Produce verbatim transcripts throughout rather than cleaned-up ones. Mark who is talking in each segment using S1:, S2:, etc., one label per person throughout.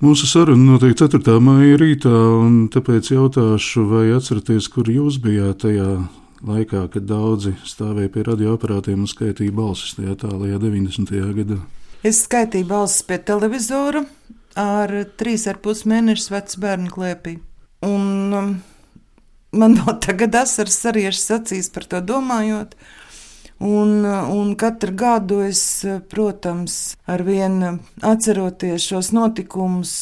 S1: Mūsu saruna notiek ceturtā maija rītā, un tāpēc jautāšu, vai atceraties, kur jūs bijāt tajā laikā, kad daudzi stāvēja pie radioaparātiem un skaitīja balsis tajā tālajā deviņdesmitajā gadā?
S2: Es skaitīju balsis pie televizora ar trīs ar pus mēnešus vecu bērnu klēpī. Un um, man vēl tagad asaras sariešas acīs par to domājot. Un, un katru gadu es, protams, arvien atceroties šos notikumus,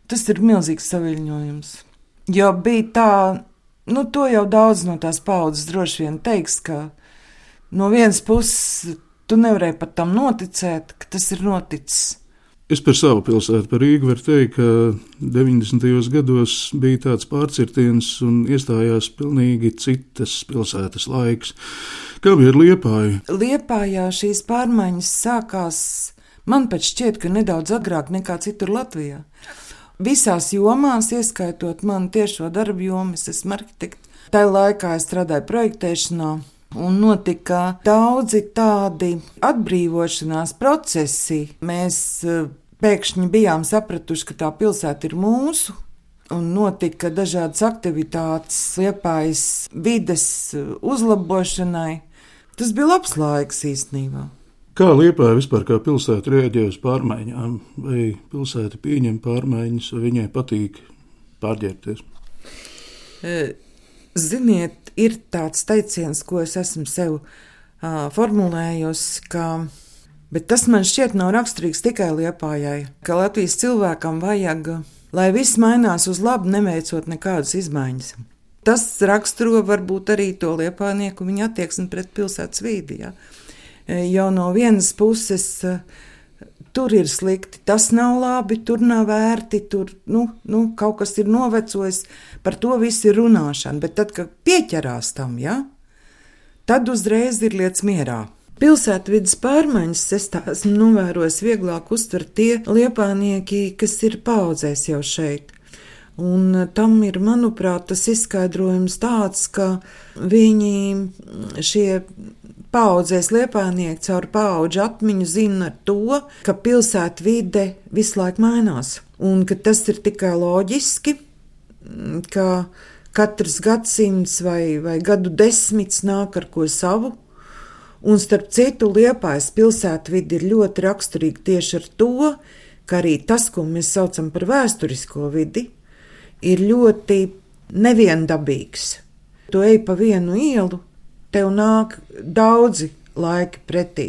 S2: tas ir milzīgs saviļņojums. Jo bija tā, nu to jau daudz no tās paudzes droši vien teiks, ka no vienas puses tu nevarēji pat tam noticēt, ka tas ir noticis.
S1: Es par savu pilsētu, par Rīgu, varu teikt, ka deviņdesmitajos gados bija tāds pārcirtiens un iestājās pilnīgi citas pilsētas laiks. Kā bija ar Liepāju?
S2: Liepājā šīs pārmaiņas sākās, man pat šķiet, ka nedaudz agrāk nekā citur Latvijā. Visās jomās, ieskaitot manu tiešo darbu jomu, es esmu arhitekts. Tajā laikā es strādāju projektēšanā. Un notika daudzi tādi atbrīvošanās procesi. Mēs pēkšņi bijām sapratuši, ka tā pilsēta ir mūsu, un notika dažādas aktivitātes Liepājas vides uzlabošanai. Tas bija labs laiks īstenībā.
S1: Kā Liepāja vispār kā pilsēta reaģē uz pārmaiņām? Vai pilsēta pieņem pārmaiņas, vai viņai patīk pārģērbties?
S2: E, ziniet, ir tāds teiciens, ko es esmu sev uh, formulējusi, ka, bet tas man šķiet nav raksturīgs tikai Liepājai, ka Latvijas cilvēkam vajag, lai viss mainās uz labu, neveicot nekādas izmaiņas. Tas raksturo varbūt arī to liepājnieku viņa attieksmi pret pilsētas vidi. Ja? Jau no vienas puses uh, tur ir slikti, tas nav labi, tur nav vērti, tur nu, nu, kaut kas ir novecojis, par to viss ir runāšana. Bet tad, kad pieķerās tam, ja, tad uzreiz ir lietas mierā. Pilsētvides pārmaiņas es tā esmu novērojis vieglāk uztvert tie liepājnieki, kas ir paaudzēs jau šeit. Un tam ir, manuprāt, tas izskaidrojums tāds, ka viņi šie paaudzēs liepājnieki caur paudžu atmiņu zina to, ka pilsēta vide visu laiku mainās. Un ka tas ir tikai loģiski, ka katrs gadsimts vai, vai gadu desmits nāk ar ko savu. Un starp citu, Liepājas pilsēta vide ir ļoti raksturīga tieši ar to, ka arī tas, ko mēs saucam par vēsturisko vidi, ir ļoti neviendabīgs. Tu ej pa vienu ielu, tev nāk daudzi laiki pretī.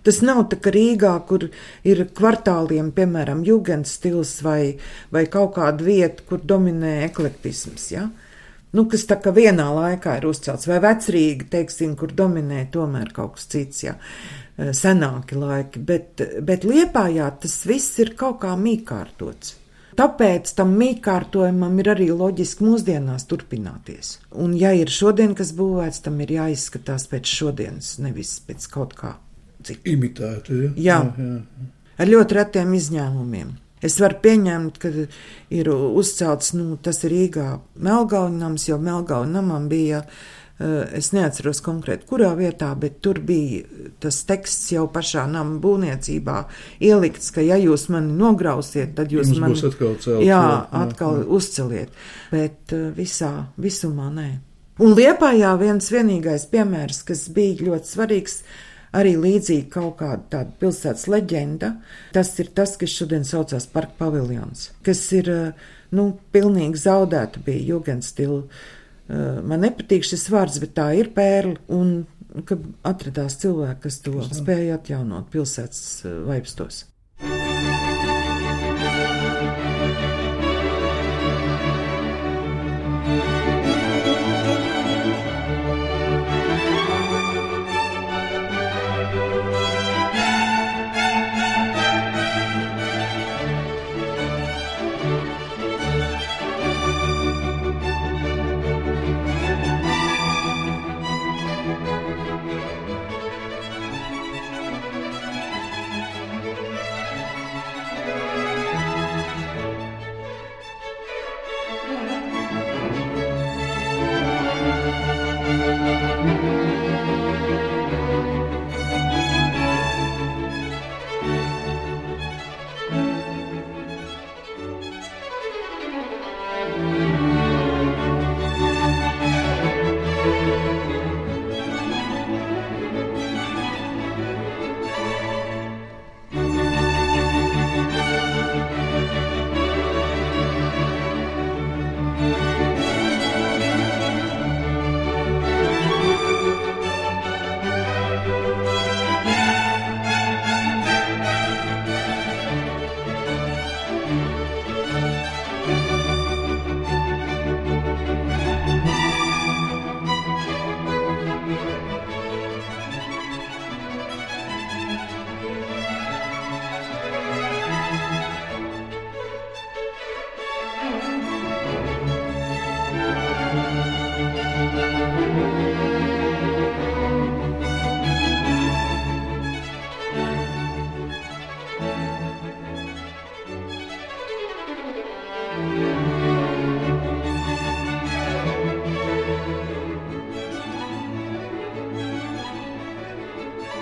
S2: Tas nav tā kā Rīgā, kur ir kvartāliem, piemēram, jugendstils vai, vai kaut kāda vieta, kur dominē eklektisms, ja? Nu, kas tā kā vienā laikā ir uzcelts, vai Vecrīga, teiksim, kur dominē tomēr kaut kas cits, ja? Senāki laiki, bet, bet Liepājā tas viss ir kaut kā mīkārtots. Tāpēc tam mīkārtojumam ir arī loģiski mūsdienās turpināties. Un ja ir šodien, kas būvēts, tam ir jāizskatās pēc šodienas, nevis pēc kaut kā cita.
S1: Imitēta, ja?
S2: Jā, jā, jā. Ar ļoti retiem izņēmumiem. Es varu pieņemt, ka ir uzcelts, nu, tas ir Rīgā Melgauņnams, jo Melgauņnamam bija, es neatceros konkrēti, kurā vietā, bet tur bija tas teksts jau pašā nama būvniecībā ielikts, ka ja jūs mani nograusiet, tad jūs
S1: Jums
S2: mani
S1: būs atkal celt,
S2: jā,
S1: jā,
S2: atkal
S1: jā.
S2: uzceliet. Bet visā, visumā nē. Un Liepājā viens vienīgais piemērs, kas bija ļoti svarīgs, arī līdzīgi kaut kāda tāda pilsētas leģenda, tas ir tas, kas šodien saucās Parka paviljons, kas ir, nu, pilnīgi zaudēta bija jugendstila. Man nepatīk šis vārds, bet tā ir pērle, un ka atradās cilvēki, kas to spēja atjaunot pilsētas vaipstos.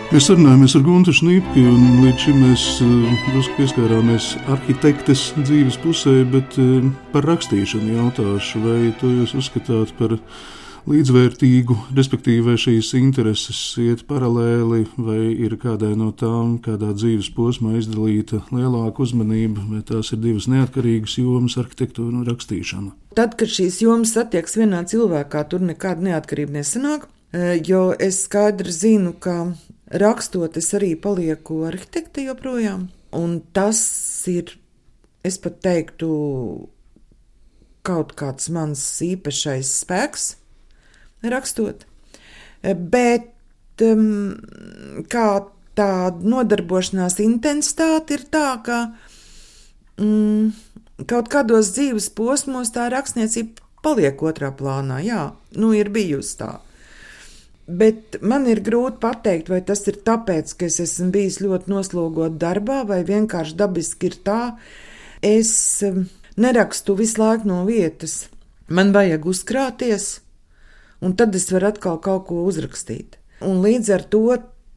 S1: Mēs sarunājamies ar Guntu Šnipki, un līdz šim mēs drusku pieskārāmies arhitektes dzīves pusē, bet par rakstīšanu jautāšu, vai to jūs uzskatāt par līdzvērtīgu, respektīvi, vai šīs intereses iet paralēli, vai ir kādai no tām, kādā dzīves posmā izdalīta lielāka uzmanība, vai tās ir divas neatkarīgas jomas, arhitektūra un rakstīšana?
S2: Tad, kad šīs jomas satieks vienā cilvēkā, tur nekāda neatkarība nesanāk, jo es skaidri zinu, ka rakstot, es arī palieku arhitekte joprojām, un tas ir, es pat teiktu, kaut kāds mans īpašais spēks rakstot, bet um, kā tāda nodarbošanās intensitāte ir tā, ka um, kaut kādos dzīves posmos tā rakstniecība paliek otrā plānā, jā, nu ir bijusi tā. Bet man ir grūti pateikt, vai tas ir tāpēc, ka es esmu bijis ļoti noslogot darbā, vai vienkārši dabiski ir tā. Es nerakstu visu laiku no vietas. Man vajag uzkrāties, un tad es varu atkal kaut ko uzrakstīt. Un līdz ar to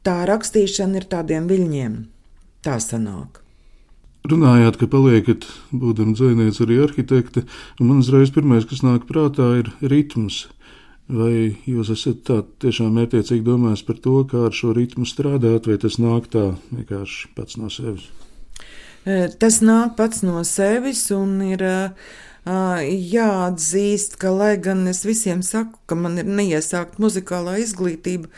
S2: tā rakstīšana ir tādiem viļņiem. Tā sanāk.
S1: Runājāt, ka paliekat, būdam dzejniece, arī arhitekte, un man uzreiz pirmais, kas nāk prātā, ir ritms. Vai jūs esat tā tiešām mērķiecīgi domājis par to, kā ar šo ritmu strādāt, vai tas nāk tā vienkārši pats no sevis?
S2: Tas nāk pats no sevis, un ir jāatzīst, ka, lai gan es visiem saku, ka man ir neiesākt muzikālā izglītība,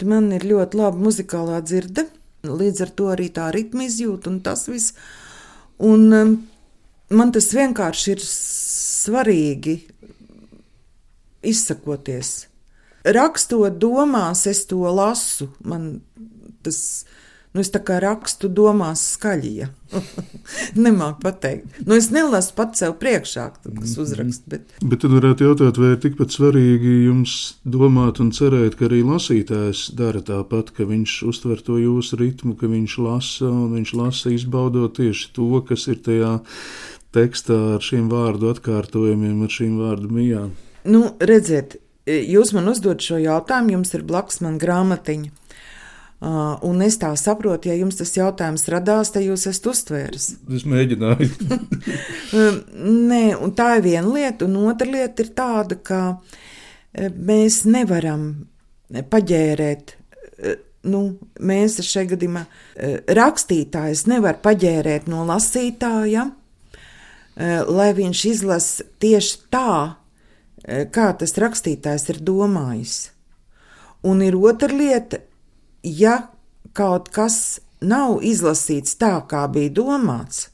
S2: man ir ļoti laba muzikālā dzirde, līdz ar to arī tā ritma izjūta un tas viss. Un man tas vienkārši ir svarīgi izsakoties. Rakstot domās, es to lasu. Man tas, nu es tā kā rakstu domās skaļi, ja. Nemāku pateikt. Nu es nelasu pat sev priekšā, kas uzrakst, bet...
S1: Bet tad varētu jautāt, vai ir tikpat svarīgi jums domāt un cerēt, ka arī lasītājs dara tāpat, ka viņš uztver to jūsu ritmu, ka viņš lasa, un viņš lasa izbaudot tieši to, kas ir tajā tekstā ar šiem vārdu atkārtojumiem, ar šīm vārdu mijām.
S2: Nu, redziet, jūs man uzdod šo jautājumu, jums ir blakus man grāmatiņa, uh, un es tā saprotu, ja jums tas jautājums radās, tad jūs esat uztvēris.
S1: Es mēģināju.
S2: Nē, un tā ir viena lieta, un otra lieta ir tāda, ka mēs nevaram paģērēt, nu, mēs šajā gadījumā rakstītājs nevar paģērēt no lasītāja, lai viņš izlasa tieši tā, kā tas rakstītājs ir domājis. Un ir otra lieta, ja kaut kas nav izlasīts tā, kā bija domāts,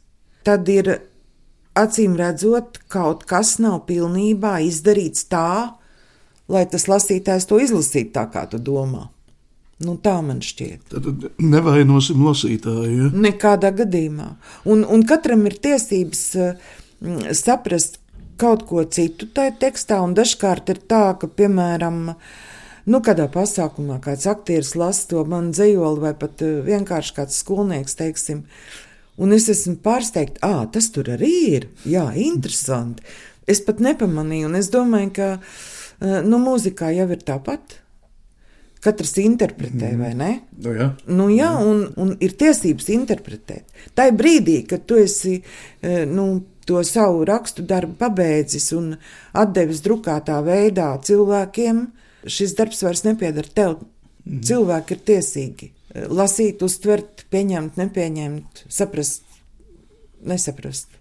S2: tad ir, acīm redzot, kaut kas nav pilnībā izdarīts tā, lai tas lasītājs to izlasītu tā, kā tu domā. Nu, tā man šķiet.
S1: Tad nevainosim lasītāju, ja?
S2: Nekādā gadījumā. Un, un katram ir tiesības uh, saprast kaut ko citu tajā tekstā, un dažkārt ir tā, ka, piemēram, nu, kādā pasākumā kāds aktieris lasa to man dzejoli, vai pat uh, vienkārši kāds skolnieks, teiksim, un es esmu pārsteigta, ā, tas tur arī ir, jā, interesanti. Es pat nepamanīju, un es domāju, ka, uh, nu, mūzikā jau ir tāpat. Katrs interpretē, vai ne?
S1: Nu, jā.
S2: Nu, jā, un, un ir tiesības interpretēt. Tā ir brīdī, kad tu esi, nu, to savu rakstu darbu pabeidzis un atdevis drukātā veidā cilvēkiem, šis darbs vairs nepiedara tev. Mm. Cilvēki ir tiesīgi lasīt, uztvert, pieņemt, nepieņemt, saprast, nesaprast.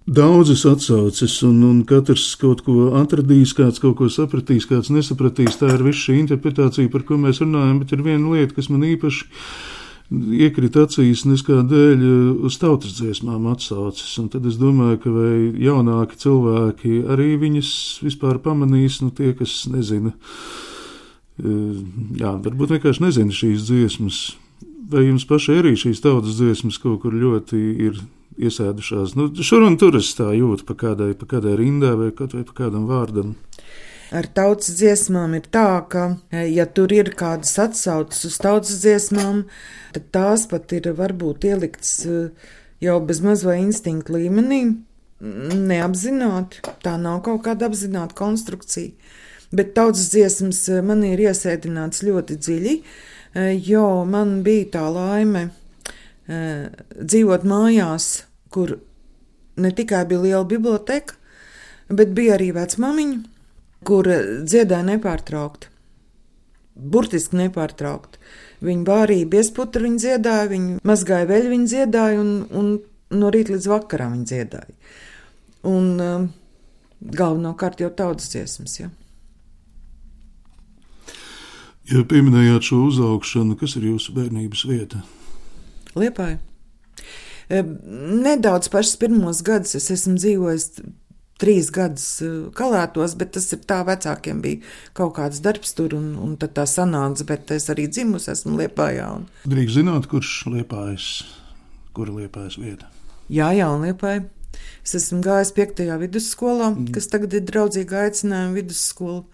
S1: Daudzas atsauces, un, un katrs kaut ko atradīs, kāds kaut ko sapratīs, kāds nesapratīs. Tā ir viss šī interpretācija, par ko mēs runājam, bet ir viena lieta, kas man īpaši iekrita acīs, neskādēļ uz tautas dziesmām atsauces. Un tad es domāju, ka vai jaunāki cilvēki arī viņas vispār pamanīs, nu tie, kas nezina, jā, varbūt vienkārši nezina šīs dziesmas. Vai jums pašai arī šīs tautas dziesmas kaut kur ļoti ir iesēdušās? Nu, šur un tur es tā jūtu pa kādai, pa kādai rindai vai kaut vai pa kādam vārdam.
S2: Ar tautas dziesmām ir tā, ka, ja tur ir kādas atsauces uz tautas dziesmām, tad tās pat ir varbūt ieliktas jau bez maz vai instinktu līmenī, neapzināti. Tā nav kaut kāda apzināta konstrukcija. Bet tautas dziesmas man ir iesēdināts ļoti dziļi. jo man bija tā laime dzīvot mājās, kur ne tikai bija liela biblioteka, bet bija arī vecmamiņa, kur dziedāja nepārtraukti. Burtiski nepārtraukti. Viņa vārīja biesputru, viņa dziedāja, viņa mazgāja veļu, viņa dziedāja, un, un no rīta līdz vakaram viņa dziedāja. Un um, galvenokārt jau tautas dziesmas, ja.
S1: Ja pieminējāt šo uzaugšanu, kas ir jūsu bērnības vieta?
S2: Liepāja. Nedaudz pašas pirmos gadus es esmu dzīvojis trīs gadus Kalētos, bet tas ir tā, vecākiem bija kaut kāds darbs tur, un, un tad tā sanāca, bet es arī dzimusi esmu Liepājā. Un...
S1: Drīkst zināt, kurš Liepājas, kura Liepājas vieta?
S2: Jā, jā, un Liepāja. Es esmu gājis piektajā vidusskolā, mm. kas tagad ir draudzīga aicinājuma vidusskola,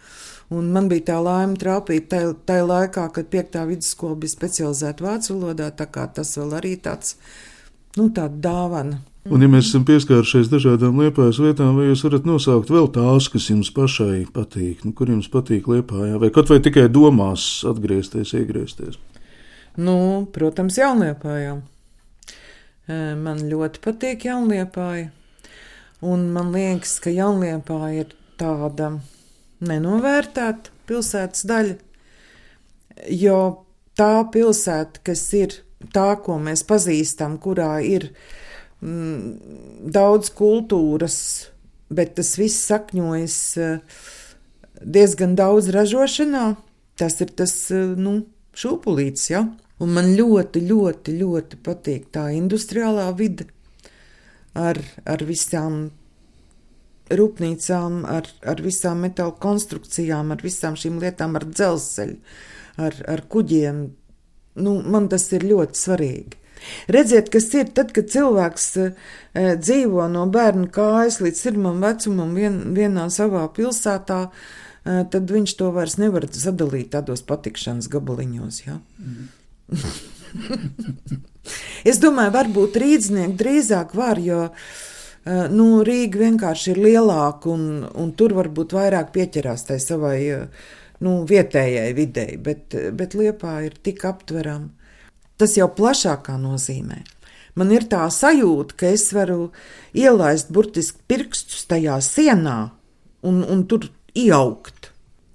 S2: un man bija tā laime trāpīt tajā, tajā laikā, kad piektā vidusskola bija specializēta vācu valodā, tā kā tas vēl arī tāds, nu, tāda dāvana.
S1: Un, ja mēs esam pieskārušies dažādām Liepājas vietām, vai jūs varat nosaukt vēl tās, kas jums pašai patīk, nu, kur jums patīk Liepājā, vai kaut vai tikai domās atgriezties, iegriezties?
S2: Nu, protams, Jaunliepājā. Man ļoti patīk Jaunliepāja, un man liekas, ka Jaunliepāja ir tāda nenovērtēta pilsētas daļa, jo tā pilsēta, kas ir tā, ko mēs pazīstam, kurā ir daudz kultūras, bet tas viss sakņojas diezgan daudz ražošanā. Tas ir tas, nu, šūpulītis, ja? Un man ļoti, ļoti, ļoti patīk tā industriālā vide ar, ar visām rūpnīcām, ar, ar visām metāla konstrukcijām, ar visām šīm lietām, ar dzelzceļu, ar, ar kuģiem. Nu, man tas ir ļoti svarīgi. Redziet, kas ir tad, kad cilvēks e, dzīvo no bērna kājas līdz sirmam vecumam vien, vienā savā pilsētā, e, tad viņš to vairs nevar sadalīt tādos patikšanas gabaliņos, ja? Mm. Es domāju, varbūt rīdznieki drīzāk var, jo e, nu, Rīga vienkārši ir lielāka un, un tur varbūt vairāk pieķerās tai savai nu, vietējai videi, bet, bet Liepāja ir tik aptverama. Tas jau plašākā nozīmē. Man ir tā sajūta, ka es varu ielaist burtiski pirkstus tajā sienā un, un tur iejaukt.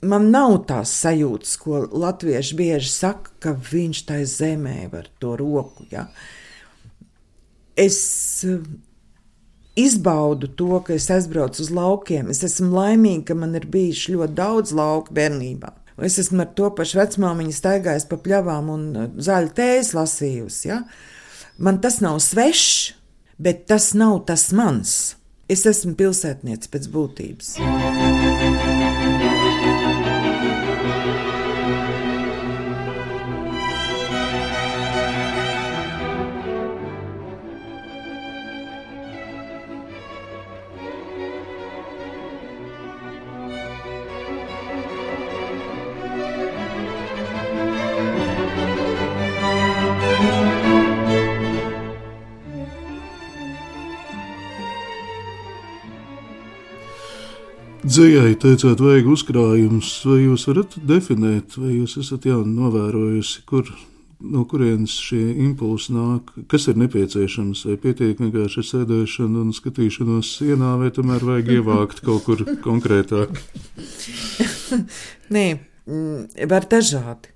S2: Man nav tās sajūtas, ko latvieši bieži saka, ka viņš tai zemē var to roku. Ja? Es izbaudu to, ka es aizbraucu uz laukiem. Es esmu laimīga, ka man ir bijuši ļoti daudz lauku bērnībā. Es esmu ar to pašu vecmāmiņu staigājis pa pļavām un zaļu tējas lasījusi. Ja? Man tas nav svešs, bet tas nav tas mans. Es esmu pilsētniece pēc būtības.
S1: Dzejai teicāt, vajag uzkrājums, vai jūs varat definēt, vai jūs esat jau novērojusi, kur, no kurienes šie impulsi nāk, kas ir nepieciešams, vai pietiek vienkārši sēdēšana un skatīšanos sienā, vai tomēr vajag ievākt kaut kur konkrētāk?
S2: Nē, var dažādi.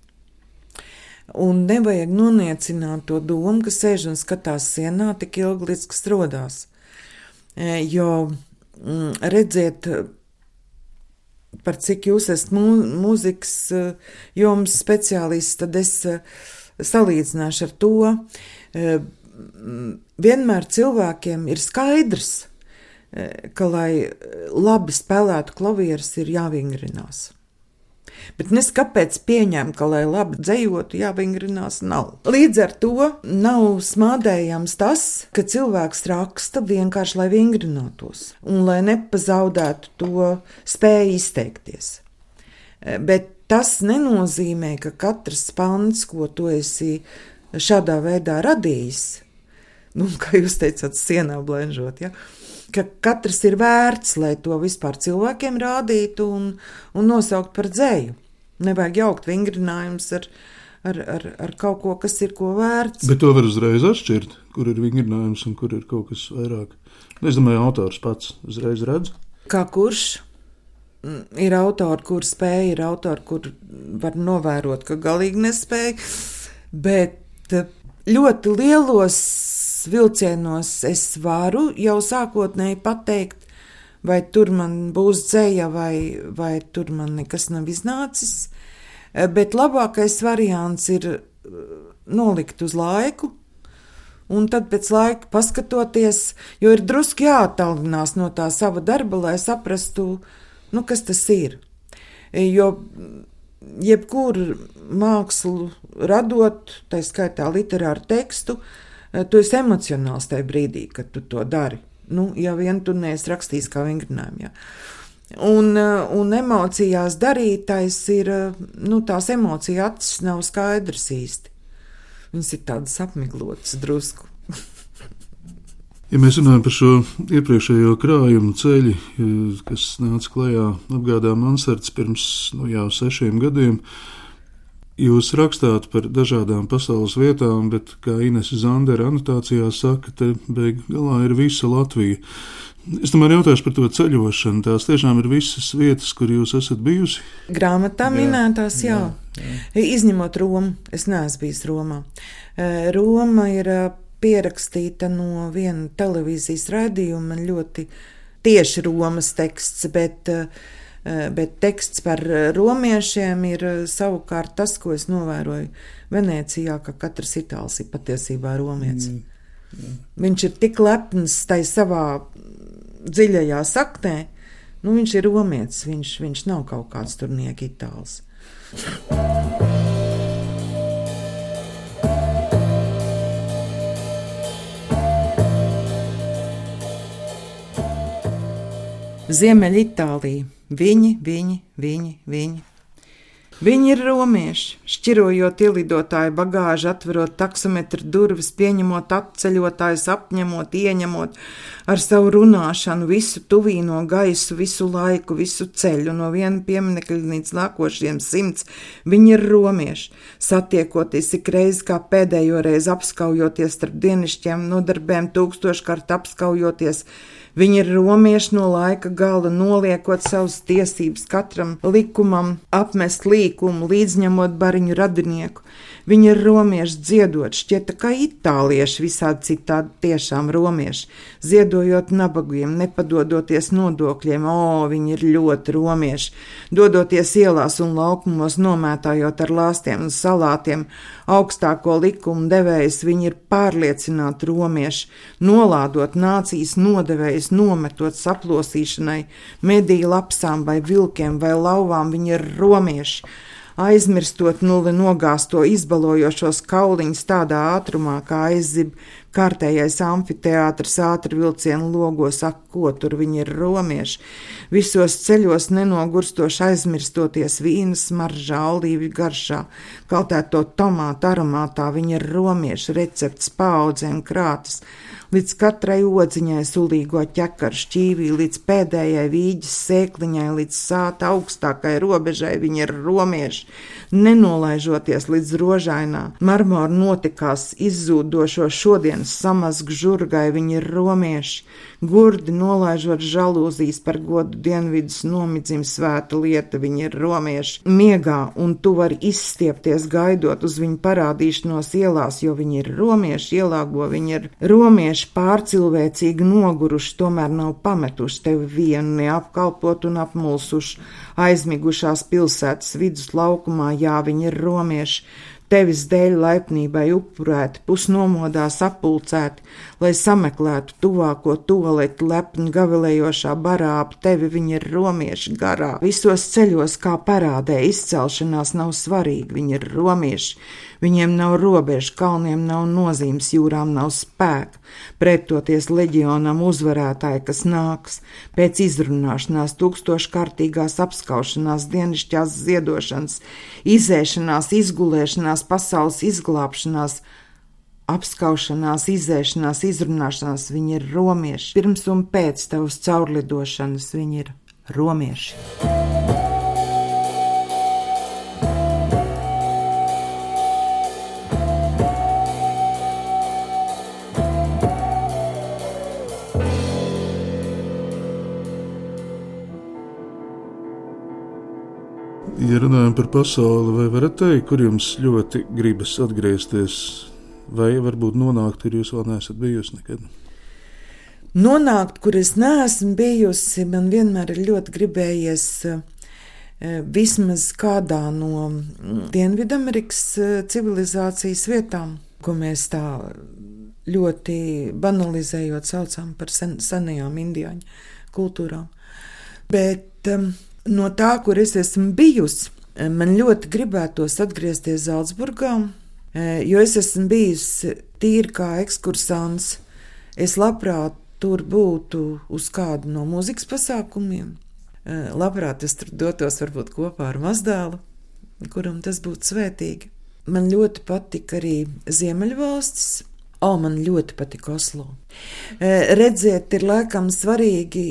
S2: Un nevajag noniecināt to domu, ka sēž un skatās sienā tik ilgi, līdz kas rodās. Jo, redziet, par cik jūs esat mūzikas jomas speciālists, tad es salīdzināšu ar to. Vienmēr cilvēkiem ir skaidrs, ka, lai labi spēlētu klavierus, ir jāvingrinās. Bet nes kāpēc pieņem, ka, lai labi dzejotu, jāvingrinās nav. Līdz ar to nav smādējams tas, ka cilvēks raksta vienkārši, lai vingrinātos un lai nepazaudētu to spēju izteikties. Bet tas nenozīmē, ka katrs pants, ko tu esi šādā veidā radījis, nu, kā jūs teicat, sienā blenžot, ja? Ka katrs ir vērts, lai to vispār cilvēkiem rādītu un, un nosaukt par dzeju. Nevajag jaukt vingrinājumus ar, ar, ar, ar kaut ko, kas ir ko vērts.
S1: Bet to var uzreiz atšķirt, kur ir vingrinājums un kur ir kaut kas vairāk. Es domāju, autors pats uzreiz redz.
S2: Kā kurš? Ir autori, kur spēja, ir autori, kur var novērot, ka galīgi nespēja, bet ļoti lielos vilcienos es varu jau sākotnēji pateikt, vai tur man būs dzēja, vai, vai tur man nekas nav iznācis, bet labākais variants ir nolikt uz laiku, un tad pēc laika paskatoties, jo ir drusku jāattālinās no tā sava darba, lai saprastu, nu, kas tas ir. Jo jebkuru mākslu radot, tā skaitā literāru tekstu, tu esi emocionāls tajā brīdī, kad tu to dari. Nu, ja vien tu neesi rakstījis kā vingrinājumu, jā. Un, un emocijās darītais ir, nu, tās emocija acis nav skaidrs īsti. Viņas ir tādas apmiglotas drusku.
S1: Ja mēs runājam par šo iepriekšējo krājumu ceļu, kas nāca klajā apgādā Mansards pirms nu, jau sešiem gadiem, jūs rakstāt par dažādām pasaules vietām, bet, kā Inese Zandera anotācijā saka, te beig galā ir visa Latvija. Es tomēr jautāšu par to ceļošanu. Tās tiešām ir visas vietas, kur jūs esat bijusi?
S2: Grāmatā minētās, jā. jā. jā. Izņemot Romu, es neesmu bijis Romā. Roma ir pierakstīta no viena televīzijas raidījuma, ļoti tieši Romas teksts, bet, bet teksts par romiešiem ir savukārt tas, ko es novēroju Venecijā, ka katrs itālis ir patiesībā romietis. Mm, mm. Viņš ir tik lepns tai savā dziļajā saknē, nu viņš ir romietis, viņš, viņš nav kaut kāds turnieka itālis. Ziemeļitālija. Viņi, viņi, viņi, viņi. Viņi ir romieši, šķirojot ielidotāju bagāžu, atverot taksometru durvis, pieņemot atceļotājus, apņemot, ieņemot ar savu runāšanu visu tuvīno gaisu, visu laiku, visu ceļu, no viena pieminekļa līdz nākošiem simts. Viņi ir romieši, satiekoties ik reizi kā pēdējo reizi apskaujoties starp dienišķiem nodarbēm, tūkstoškārt apskaujoties. Viņi ir romieši no laika gala, noliekot savas tiesības katram likumam, apmest līkumu, līdzņemot bariņu radinieku. Viņi ir romieši dziedot, šķieta kā itālieši, visādi citādi tiešām romieši, ziedojot nabagiem, nepadodoties nodokļiem, o, viņi ir ļoti romieši, dodoties ielās un laukumos, nomētājot ar lāstiem un salātiem, augstāko likumu devējs, viņi ir pārliecināti romieši, nolādot nācijas nodevējs, nometot saplosīšanai, mediju lapsām vai vilkiem vai lauvām, viņi ir romieši, aizmirstot nulli nogāsto izbalojošos kauliņus tādā ātrumā, kā aizzib kārtējais amfiteātrs ātri vilcienu logos, ak, ko tur viņi ir romieši, visos ceļos nenogurstoši aizmirstoties vīna smaržā, olīvju garšā, kaltēto tomātu aromātā, viņi ir romieši, recepts paaudzēm krātas, līdz katrai odziņai sulīgo ķekaru šķīvī, līdz pēdējai vīģes sēkliņai, līdz sāta augstākai robežai, viņi ir romieši, nenolaižoties līdz rožainā, marmora notikās izzūdošo šodienas samazgu žurgai, viņi ir romieši, gurdi nolaižot žalūzijas par godu dienvidus nomidzim svēta lieta, viņi ir romieši, miegā, un tu vari izstiepties gaidot uz viņu parādīšanos ielās, jo viņi ir romieši, ielāgo, viņi ir romieši, pārcilvēcīgi noguruši, tomēr nav pametuši tevi vienu, neapkalpot un apmulsuši, aizmigušās pilsētas vidus laukumā, jā, viņi ir romieši, tevis dēļ laipnībai upurēti, pusnomodā sapulcēti, lai sameklētu tuvāko tualeti lepni gavilējošā barā ap tevi, viņi ir romieši garā. Visos ceļos kā parādē izcelšanās nav svarīgi, viņi ir romieši, viņiem nav robežu, kalniem nav nozīmes, jūrām nav spēka, pretoties leģionam uzvarētāji, kas nāks, pēc izrunāšanās, tūkstoškārtīgās apskaušanās, dienišķās ziedošanas, izēšanās, izgulēšanās, pasaules izglābšanās, apskaušanās, izēšanās, izrunāšanās, viņi ir romieši. Pirms un pēc tavas caurlidošanas viņi ir romieši.
S1: Ja runājam par pasauli, vai varat teikt, kur jums ļoti gribas atgriezties, vai varbūt nonākt, kur jūs vēl neesat bijusi nekad?
S2: Nonākt, kur es neesmu bijusi, man vienmēr ir ļoti gribējies vismaz kādā no Dienvidamerikas civilizācijas vietām, ko mēs tā ļoti banalizējot saucam par sen, senajām indiāņu kultūrām. Bet um, no tā, kur es esmu bijusi, man ļoti gribētos atgriezties Zalcburgā, jo es esmu bijusi tīri kā ekskursants. Es labprāt tur būtu uz kādu no mūzikas pasākumiem. Labprāt es tur dotos varbūt kopā ar mazdēlu, kuram tas būtu svētīgi. Man ļoti patika arī Ziemeļvalstis. O, man ļoti patika Oslo. Redzēt, ir laikam svarīgi,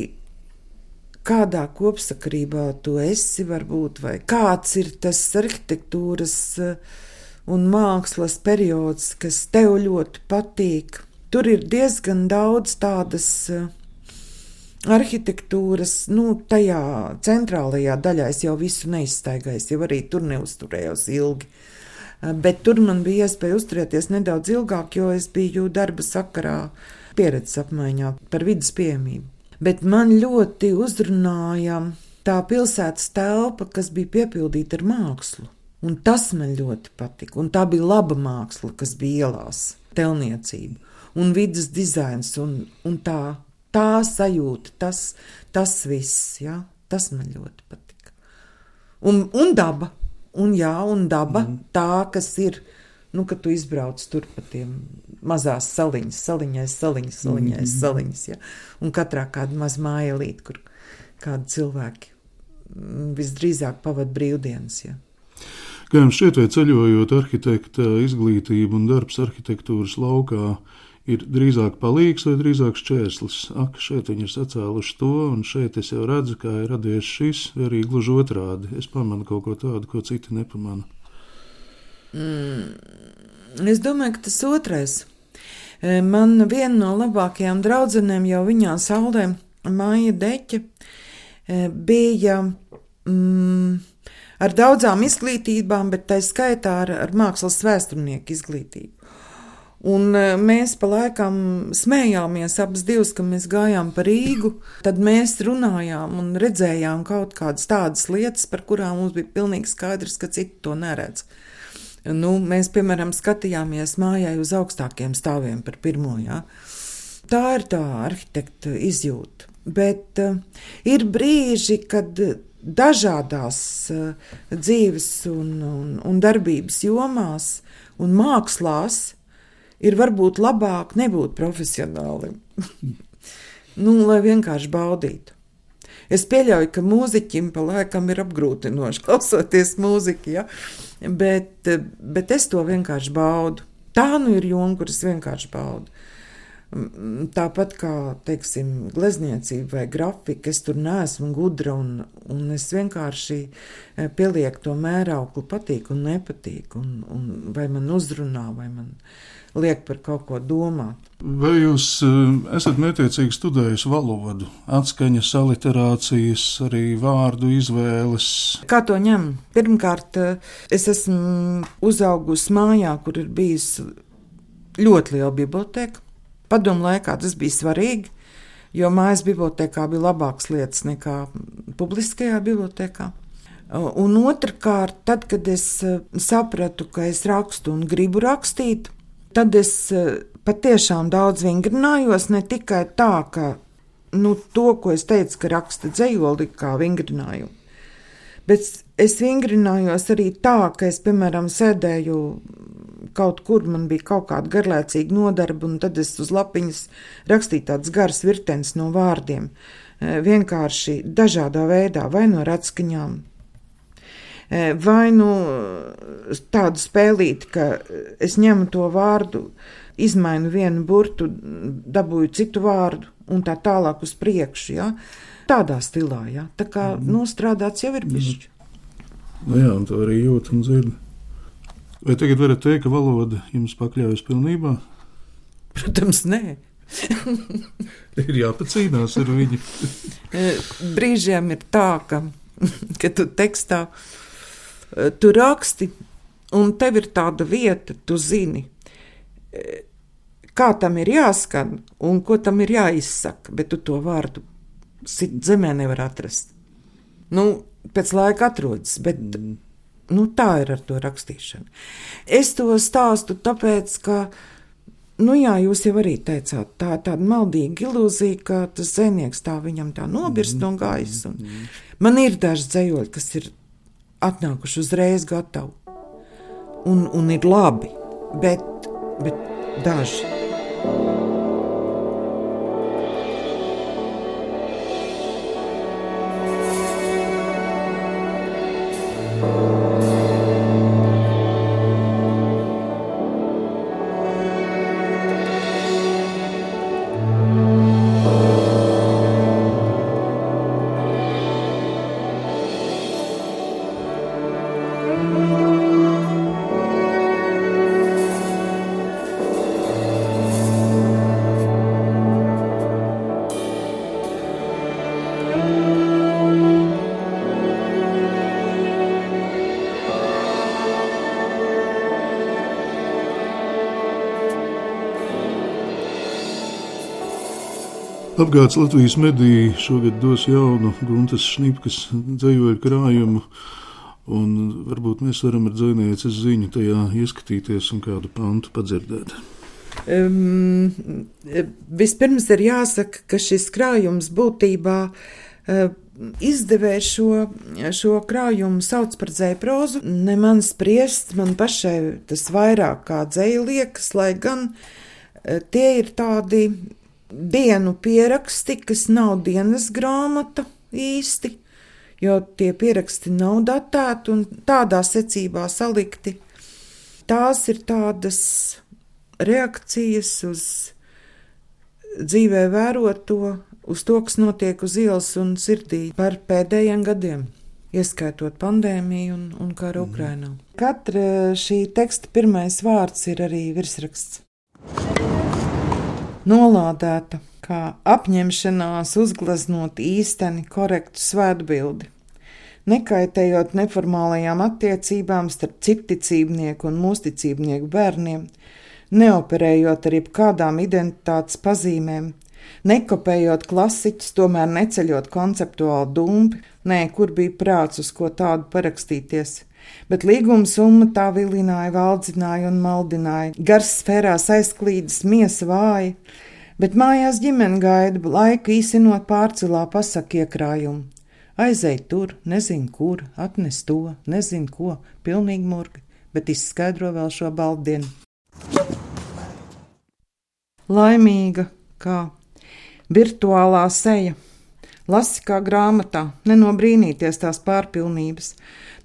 S2: kādā kopsakarībā tu esi, varbūt, vai kāds ir tas arhitektūras un mākslas periods, kas tev ļoti patīk. Tur ir diezgan daudz tādas arhitektūras, nu, tajā centrālajā daļā es jau visu neizstaigāju, jau arī tur neuzturējos ilgi. Bet tur man bija iespēja uzturēties nedaudz ilgāk, jo es biju darba sakarā pieredzes apmaiņā par vidas pieejamību. Bet man ļoti uzrunāja tā pilsētas telpa, kas bija piepildīta ar mākslu. Un tas man ļoti patika. Un tā bija laba māksla, kas bija ielās, telniecība un vidas dizains. Un, un tā, tā sajūta, tas, tas viss, ja? Tas man ļoti patika. Un, un daba, un jā, un daba, mm. tā, kas ir, nu, kad tu izbrauc tur pa tiem mazās saliņas, saliņais, saliņas, saliņais, mm. saliņas, ja? Un katrā kāda maz mājelīt, kur kādi cilvēki visdrīzāk pavad brīvdienas, ja.
S1: Kā jums šķiet, vai ceļojot arhitekta izglītību un darbs arhitektūras laukā ir drīzāk palīgs vai drīzāk šķērslis? Ak, šeit viņi ir sacēluši to, un šeit es jau redzu, kā ir radies šis, vai arī gluži otrādi. Es pamanu kaut ko tādu, ko citi nepamana.
S2: Mm, es domāju, ka tas otrais. Man viena no labākajām draudzenēm jau viņā saulē, Maija Deķe, bija mm, ar daudzām izglītībām, bet tā skaitā ar, ar mākslas vēsturnieku izglītību. Un mēs pa laikam smējāmies abas divas, ka mēs gājām pa Rīgu, tad mēs runājām un redzējām kaut kādas tādas lietas, par kurām mums bija pilnīgi skaidrs, ka citi to neredz. Nu, mēs, piemēram, skatījāmies mājai uz augstākiem stāviem par pirmo, jā. Tā ir tā arhitekta izjūta. Bet uh, ir brīži, kad dažādās uh, dzīves un, un, un darbības jomās un mākslās ir varbūt labāk nebūt profesionālim. Nu, lai vienkārši baudītu. Es pieļauju, ka mūziķim pa laikam ir apgrūtinoši klausoties mūziku, ja? bet, bet es to vienkārši baudu. Tā nu ir joma, kuras vienkārši baudu. Tāpat kā, teiksim, glezniecība vai grafika, es tur neesmu gudra un, un es vienkārši pielieku to mērauklu patīk un nepatīk, un, un vai man uzrunā, vai man liek par kaut ko domāt.
S1: Vai jūs esat mētiecīgi studējusi valodu, atskaņas, aliterācijas, arī vārdu izvēles?
S2: Kā to ņem? Pirmkārt, es esmu uzaugusi mājā, kur ir bijusi ļoti liela biblioteka. Padomu laikā tas bija svarīgi, jo mājas bibliotekā bija labākas lietas nekā publiskajā bibliotekā. Un otrkārt, tad, kad es sapratu, ka es rakstu un gribu rakstīt, tad es patiešām daudz vingrinājos, ne tikai tā, ka nu, to, ko es teicu, ka raksta dzejoli kā vingrinājumu. Bet es vingrinājos arī tā, ka es, piemēram, sēdēju kaut kur, man bija kaut kāda garlaicīga nodarba, un tad es uz lapiņas rakstīju tādas garas virtenes no vārdiem. Vienkārši dažādā veidā, vai no ratskaņām, vai nu tādu spēlīti, ka es ņemu to vārdu, izmainu vienu burtu, dabūju citu vārdu un tā tālāk uz priekšu, ja? Tādā stilā, ja? Tā kā mm. nostrādāts jau ir bišķi.
S1: Nu jā, un to arī jūt un dzird. Vai tagad varat teikt, ka valoda jums pakļaujas pilnībā?
S2: Protams, nē.
S1: Ir jāpacīnās ar viņu.
S2: Brīžiem ir tā, ka, ka tu tekstā tu raksti, un tev ir tāda vieta, tu zini, kā tam ir jāskan un ko tam ir jāizsaka, bet tu to vārdu zemē nevar atrast. Nu, pēc laika atrodas, bet mm. nu, tā ir ar to rakstīšanu. Es to stāstu tāpēc, ka, nu jā, jūs jau arī teicāt, tā ir tāda maldīga ilūzija, ka tas dzejnieks tā viņam tā nobirst mm. no gaisa. Mm. Man ir daži dzejoļi, kas ir atnākuši uzreiz gatavi. Un, un ir labi, bet, bet daži.
S1: Apgāds Latvijas mediji šogad dos jaunu Guntas Šnipkas dzejoļu krājumu, un varbūt mēs varam ar dzejnieces ziņu tajā ieskatīties un kādu pantu padzirdēt.
S2: Um, vispirms ir jāsaka, ka šis krājums būtībā uh, izdevējs šo, šo krājumu sauc par dzeju prozu. Ne man spriest, man pašai tas vairāk kā dzeju liekas, lai gan uh, tie ir tādi dienu pieraksti, kas nav dienas grāmata īsti, jo tie pieraksti nav datēti un tādā secībā salikti. Tās ir tādas reakcijas uz dzīvē vēroto, uz to, kas notiek uz ielas un sirdī par pēdējiem gadiem, ieskaitot pandēmiju un, un karu mm. Ukrainā. Katra šī teksta pirmais vārds ir arī virsraksts. Nolādēta, kā apņemšanās uzgleznot īsteni korektu svētbildi, nekaitējot neformālajām attiecībām starp citticībnieku un mūsticībnieku bērniem, neoperējot ar jebkādām identitātes pazīmēm, nekopējot klasiķus, tomēr neceļot konceptuāli dumpi, nē, kur bija prāts, uz ko tādu parakstīties. Bet līguma summa tā vilināja, valdzināja un maldināja, gars sfērās aizklīdas, miesa vāja, bet mājās ģimene gaida, laiku īsinot pārcelā pasaka iekrājumu. Aizej tur, nezin kur, atnes to, nezin ko, pilnīgi murgi, bet izskaidro vēl šo baltdienu. Laimīga, kā virtuālā seja, lasi kā grāmatā, nenobrīnīties tās pārpilnības.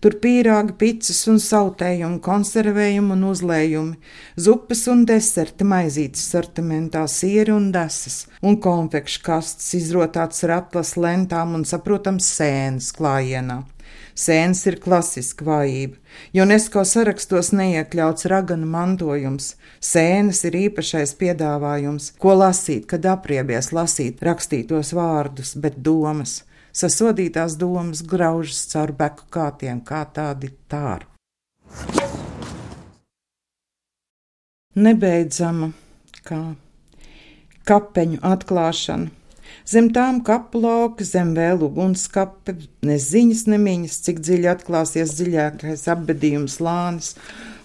S2: Tur pīrāgi, picis un sautējumi, konservējumi un uzlējumi, zupas un deserti maizītes sortimentā, sieri un desas, un konfekšu kastes izrotāts ar atlas lentām un saprotams sēnes klājienā. Sēnes ir klasiska vājība, jo UNESCO sarakstos neiekļauts raganu mantojums. Sēnes ir īpašais piedāvājums, ko lasīt, kad apriebies lasīt rakstītos vārdus, bet domas. Sasodītās domas graužas caur beku kātiem, kā tādi tāru. Nebeidzama, kā kapeņu atklāšana. Zem tām kapu lauka, zem vēl ugunskape, ne ziņas, ne miņas, cik dziļi atklāsies dziļākais apbedījums lānis,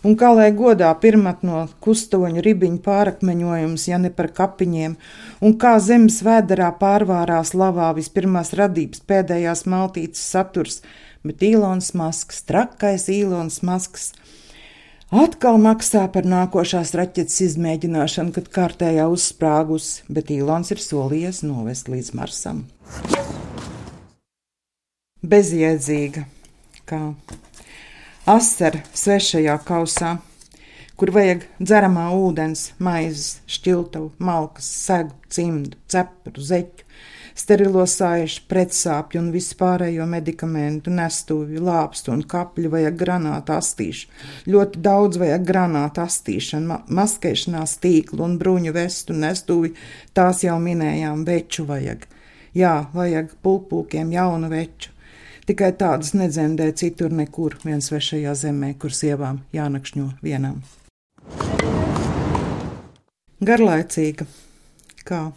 S2: un kā lai godā pirmat no kustoņu ribiņu pārakmeņojums, ja ne par kapiņiem, un kā zemes vēderā pārvārās lavā vispirmās radības pēdējās maltītes saturs, bet Īlons Masks, trakais Īlons Masks, atkal maksā par nākošās raķetes izmēģināšanu, kad kārtējā uzsprāgusi, bet Īlons ir solījies novest līdz Marsam. Bezjēdzīga, kā asara svešajā kausā, kur vajag dzeramā ūdens, maizes, šķiltavu, malkas, segu, cimdu, cepuru, zeķu, sterilo saišu, pretsāpju un vispārējo medikamentu, nestuvju, lāpstu un kapļu vajag granātu astīšu. Ļoti daudz vajag granātu astīšanu, ma maskēšanās tīklu un bruņu vestu, nestuvju, tās jau minējām, veču vajag. Jā, vajag pulpulkiem jaunu veču. Tikai tādas nedzemdē citur nekur, vien svešajā zemē, kur sievām jānakšņo vienām. Garlaicīga, kā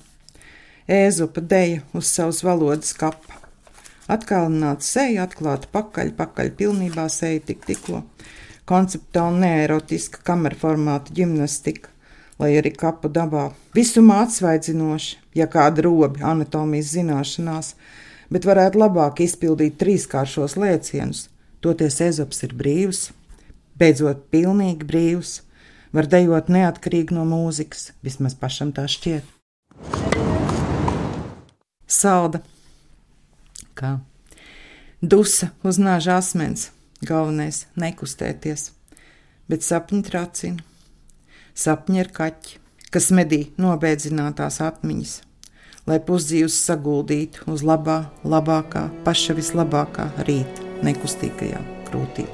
S2: Ēzopa deja uz savas valodas kapa. Atkalināta seja, atklāta pakaļ, pakaļ pilnībā seja tik tikko. Konceptuāli neerotiska kamerformāta ģimnastika, lai arī kapu dabā. Visumā atsvaidzinoši, ja kāda robi anatomijas zināšanās, bet varētu labāk izpildīt trīskāršos lēcienus. Toties Ēzops ir brīvs, beidzot pilnīgi brīvs, var dejot neatkarīgi no mūzikas, vismaz pašam tā šķiet. Salda, kā dusa uz nāža asmens, galvenais nekustēties, bet sapņi tracina. Sapņi ir kaķi, kas medī nobēdzinātās atmiņas, lai pusdzīvus saguldītu uz labā, labākā, paša vislabākā rīta nekustīgajā krūtī.